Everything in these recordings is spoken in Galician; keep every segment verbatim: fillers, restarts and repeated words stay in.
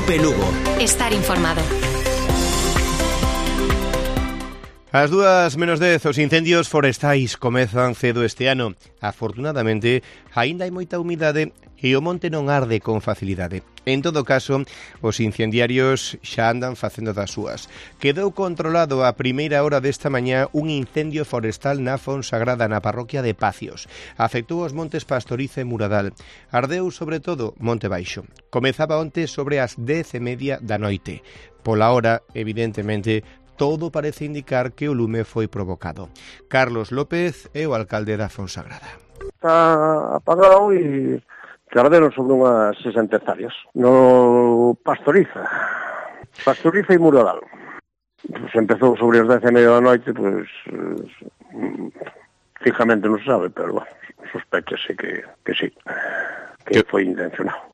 Cope Lugo. Estar informado. As dúas menos dez, os incendios forestais comezan cedo este ano. Afortunadamente, aínda hai moita humidade e o monte non arde con facilidade. En todo caso, os incendiarios xa andan facendo das súas. Quedou controlado a primeira hora desta mañá un incendio forestal na Fonsagrada, na parroquia de Pacios. Afectou os montes Pastoriza e Muradal. Ardeu sobre todo Monte Baixo. Comezaba onte sobre as dez e media da noite. Pola hora, evidentemente, todo parece indicar que o lume foi provocado. Carlos López é o alcalde da Fonsagrada. Está apagado e que arderon sobre unhas sesenta hectáreas. No Pastoriza, Pastoriza e Muradal. Pues empezou sobre as dez e media da noite, pues, fijamente non se sabe, pero bueno, sospechase que, que sí, que foi intencionado.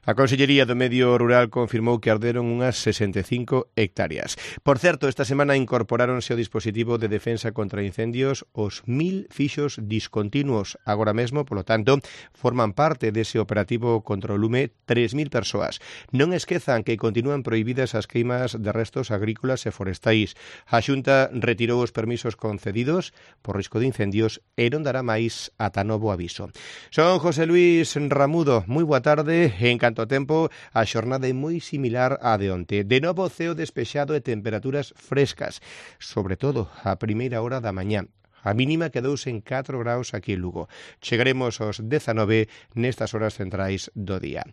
A Consellería do Medio Rural confirmou que arderon unhas sesenta e cinco hectáreas. Por certo, esta semana incorporáronse ao dispositivo de defensa contra incendios os mil fixos discontinuos. Agora mesmo, polo tanto, forman parte dese operativo contra o lume tres mil persoas. Non esquezan que continúan prohibidas as queimas de restos agrícolas e forestais. A Xunta retirou os permisos concedidos por risco de incendios e non dará máis ata novo aviso. Son José Luis Ramudo. Moi boa tarde. Encantado o tempo, a xornada é moi similar á de onte. De novo ceo despexado e temperaturas frescas, sobre todo a primeira hora da mañá. A mínima quedouse en catro graus aquí en Lugo. Chegaremos aos dezanove nestas horas centrais do día.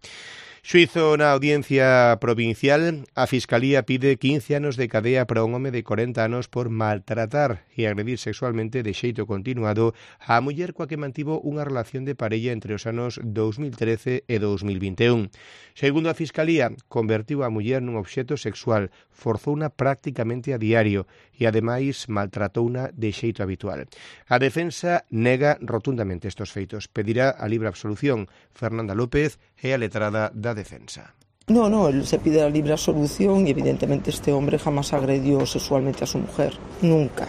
Xuízo na Audiencia Provincial, a Fiscalía pide quince anos de cadea para un home de corenta anos por maltratar e agredir sexualmente de xeito continuado a muller coa que mantivo unha relación de parella entre os anos dous mil trece e dous mil vinte e un. Segundo a Fiscalía, convertiu a muller nun obxecto sexual, forzouna prácticamente a diario e, ademais, maltratouna de xeito habitual. A defensa nega rotundamente estes feitos. Pedirá a libre absolución. Fernanda López é a letrada da defensa. No, no, él se pide la libre absolución y evidentemente este hombre jamás agredió sexualmente a su mujer, nunca.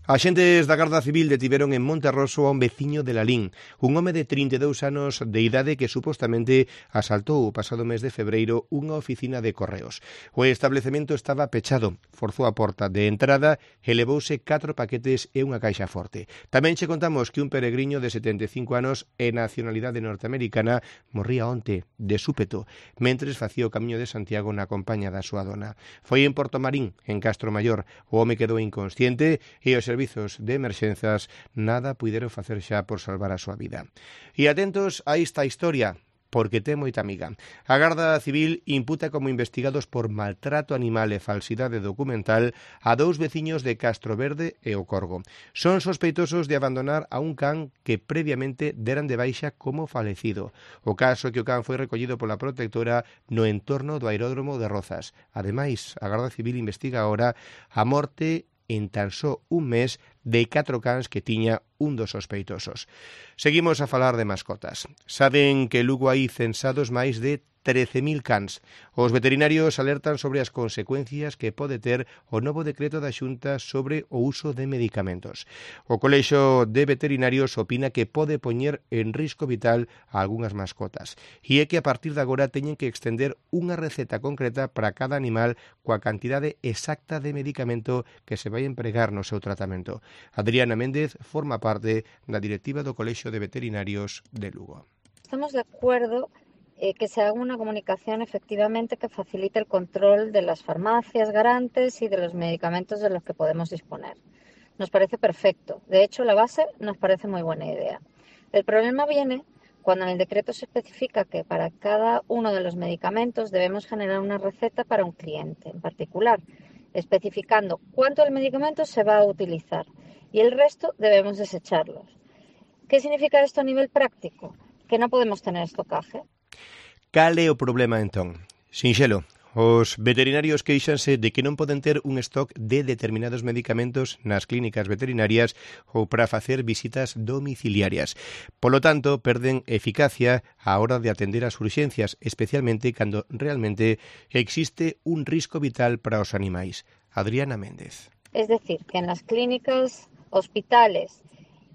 Axentes da Garda Civil detiveron en Monterroso a un veciño de Lalín, un home de trinta e dous anos de idade que supostamente asaltou o pasado mes de febreiro unha oficina de correos. O establecemento estaba pechado, forzou a porta de entrada e levouse catro paquetes e unha caixa forte. Tamén che contamos que un peregriño de setenta e cinco anos e nacionalidade norteamericana morría onte de súpeto, mentres facía o camiño de Santiago na compaña da súa dona. Foi en Portomarín, en Castro Maior. O home quedou inconsciente e o servizos de emerxenzas nada puideron facer xa por salvar a súa vida. E atentos a esta historia, porque ten moita amiga. A Garda Civil imputa como investigados por maltrato animal e falsidade documental a dous veciños de Castroverde e o Corgo. Son sospeitosos de abandonar a un can que previamente deran de baixa como falecido. O caso é que o can foi recollido pola protectora no entorno do aeródromo de Rozas. Ademais, a Garda Civil investiga agora a morte en tan só un mes de catro cans que tiña un dos sospeitosos. Seguimos a falar de mascotas. Saben que Lugo hai censados máis de trece mil cans. Os veterinarios alertan sobre as consecuencias que pode ter o novo decreto da Xunta sobre o uso de medicamentos. O Colexio de Veterinarios opina que pode poñer en risco vital a algunhas mascotas e é que a partir de agora teñen que extender unha receta concreta para cada animal coa cantidade exacta de medicamento que se vai empregar no seu tratamento. Adriana Méndez forma parte da directiva do Colexio de Veterinarios de Lugo. Estamos de acuerdo Eh, que se haga una comunicación efectivamente que facilite el control de las farmacias garantes y de los medicamentos de los que podemos disponer. Nos parece perfecto. De hecho, la base nos parece muy buena idea. El problema viene cuando en el decreto se especifica que para cada uno de los medicamentos debemos generar una receta para un cliente en particular, especificando cuánto del medicamento se va a utilizar y el resto debemos desecharlos. ¿Qué significa esto a nivel práctico? Que no podemos tener estocaje. Cal é o problema, entón? Sinxelo, os veterinarios queixanse de que non poden ter un stock de determinados medicamentos nas clínicas veterinarias ou para facer visitas domiciliarias. Polo tanto, perden eficacia á hora de atender as urxencias, especialmente cando realmente existe un risco vital para os animais. Adriana Méndez. Es decir, que en las clínicas, hospitales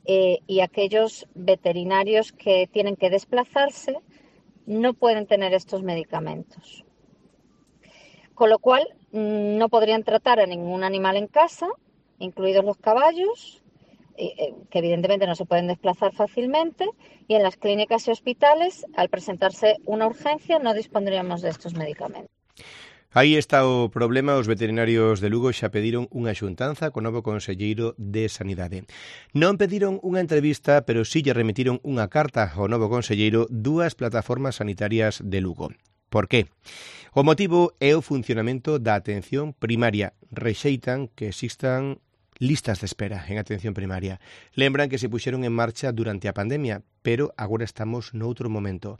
eh, y aquellos veterinarios que tienen que desplazarse, no pueden tener estos medicamentos. Con lo cual, no podrían tratar a ningún animal en casa, incluidos los caballos, que evidentemente no se pueden desplazar fácilmente, y en las clínicas y hospitales, al presentarse una urgencia, no dispondríamos de estos medicamentos. Aí está o problema. Os veterinarios de Lugo xa pediron unha xuntanza co novo conselleiro de Sanidade. Non pediron unha entrevista, pero sí lle remitiron unha carta ao novo conselleiro dúas plataformas sanitarias de Lugo. Por qué? O motivo é o funcionamento da atención primaria. Rexeitan que existan listas de espera en atención primaria. Lembran que se puxeron en marcha durante a pandemia, pero agora estamos noutro momento.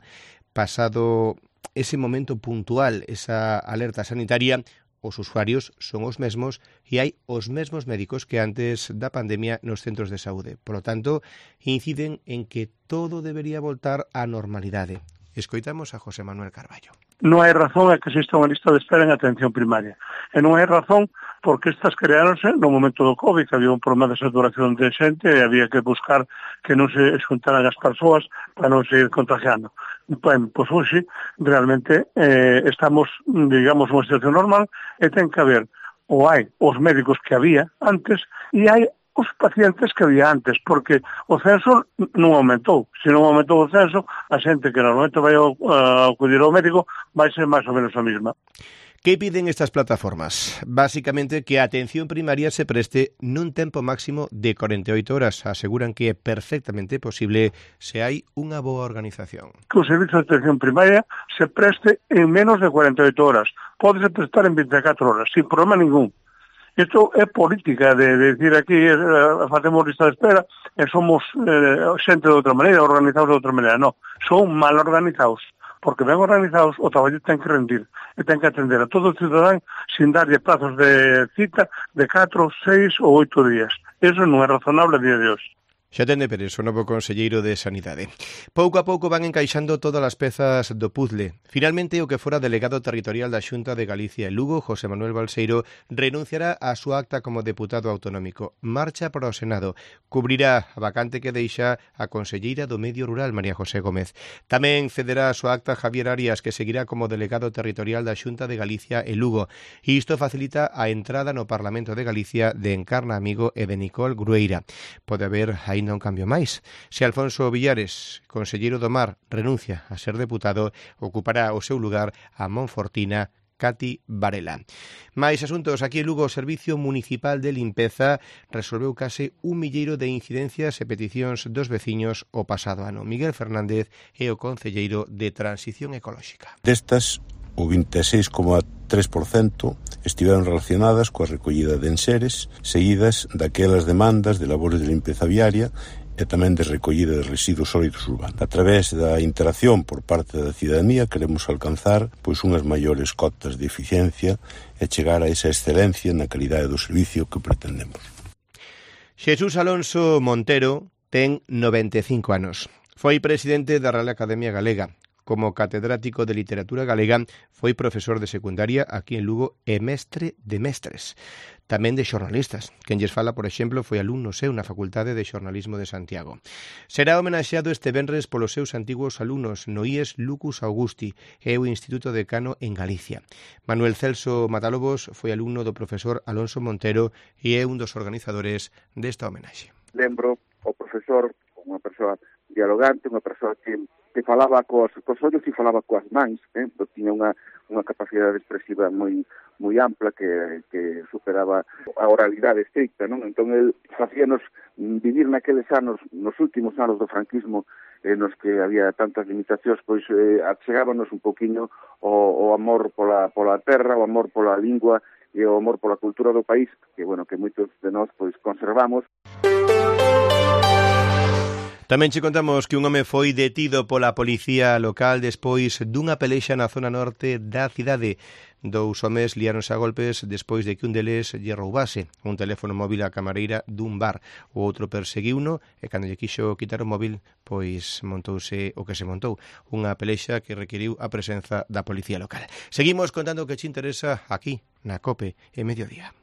Pasado ese momento puntual, esa alerta sanitaria, os usuarios son os mesmos e hai os mesmos médicos que antes da pandemia nos centros de saúde. Por lo tanto, inciden en que todo debería voltar á normalidade. Escoitamos a José Manuel Carballo. Non hai razón a que exista unha lista de espera en atención primaria. E non hai razón porque estas creáronse no momento do COVID, que había un problema de saturación de xente e había que buscar que non se xuntaran as persoas para non seguir contagiando. Ben, pois hoxe realmente eh, estamos, digamos, nunha situación normal e ten que haber, ou hai os médicos que había antes e hai os pacientes que había antes, porque o censo non aumentou. Se non aumentou o censo, a xente que normalmente vai a acudir ao médico vai ser máis ou menos a mesma. Que piden estas plataformas? Básicamente que a atención primaria se preste nun tempo máximo de corenta e oito horas. Aseguran que é perfectamente posible se hai unha boa organización. Que o servizo de atención primaria se preste en menos de corenta e oito horas. Pódese prestar en vinte e catro horas, sin problema ningún. Isto é política de, de decir aquí eh, facemos lista de espera e somos eh, xente de outra maneira, organizados de outra maneira. Non, son mal organizados, porque ben organizados o traballo ten que rendir e ten que atender a todo o cidadán sin darlle plazos de cita de catro, seis ou oito días. Eso non é razonable a día de hoxe. Xa ten de Pérez, o novo conselleiro de Sanidade. Pouco a pouco van encaixando todas as pezas do puzzle. Finalmente, o que fora delegado territorial da Xunta de Galicia e Lugo, José Manuel Balseiro, renunciará á súa acta como deputado autonómico. Marcha para o Senado. Cubrirá a vacante que deixa a conselleira do Medio Rural, María José Gómez. Tamén cederá a súa acta Javier Arias, que seguirá como delegado territorial da Xunta de Galicia e Lugo. E isto facilita a entrada no Parlamento de Galicia de Encarna Amigo e de Nicole Grueira. Pode haber aí non cambio máis. Se Alfonso Villares, conselleiro do Mar, renuncia a ser deputado, ocupará o seu lugar a monfortina Cati Varela. Mais asuntos. Aquí en Lugo, o Servicio Municipal de Limpeza resolveu case un milleiro de incidencias e peticións dos veciños o pasado ano. Miguel Fernández é o concelleiro de Transición Ecolóxica. Destas, o vinte e seis coma tres por cento estiveron relacionadas coa recollida de enseres, seguidas daquelas demandas de labores de limpeza viaria e tamén de recollida de residuos sólidos urbanos. A través da interacción por parte da cidadanía queremos alcanzar pois unhas maiores cotas de eficiencia e chegar a esa excelencia na calidade do servicio que pretendemos. Xesús Alonso Montero ten noventa e cinco anos. Foi presidente da Real Academia Galega. Como catedrático de literatura galega, foi profesor de secundaria aquí en Lugo e mestre de mestres. Tamén de xornalistas. Quen lles fala, por exemplo, foi alumno seu na Facultade de Xornalismo de Santiago. Será homenaxeado este venres polos seus antigos alumnos no I E S Lucus Augusti e o Instituto Decano en Galicia. Manuel Celso Matalobos foi alumno do profesor Alonso Montero e é un dos organizadores desta homenaxe. Lembro o profesor, unha persoa dialogante, unha persoa que que falaba cos, cos ollos e falaba coas mans, eh? Tiña unha, unha capacidade expresiva moi moi ampla que, que superaba a oralidade estricta, non? Entón, el facíanos vivir naqueles anos, nos últimos anos do franquismo, eh, nos que había tantas limitacións, pois eh, achegábanos un poquinho o, o amor pola, pola terra, o amor pola lingua e o amor pola cultura do país, que, bueno, que moitos de nós, pois, conservamos. Tamén che contamos que un home foi detido pola policía local despois dunha pelexa na zona norte da cidade. Dous homes liáronse a golpes despois de que un deles lle roubase un teléfono móvil á camareira dun bar. O outro perseguiuno e cando lle quixo quitar o móvil, pois montouse o que se montou. Unha pelexa que requiriu a presenza da policía local. Seguimos contando o que che interesa aquí, na COPE, en Mediodía.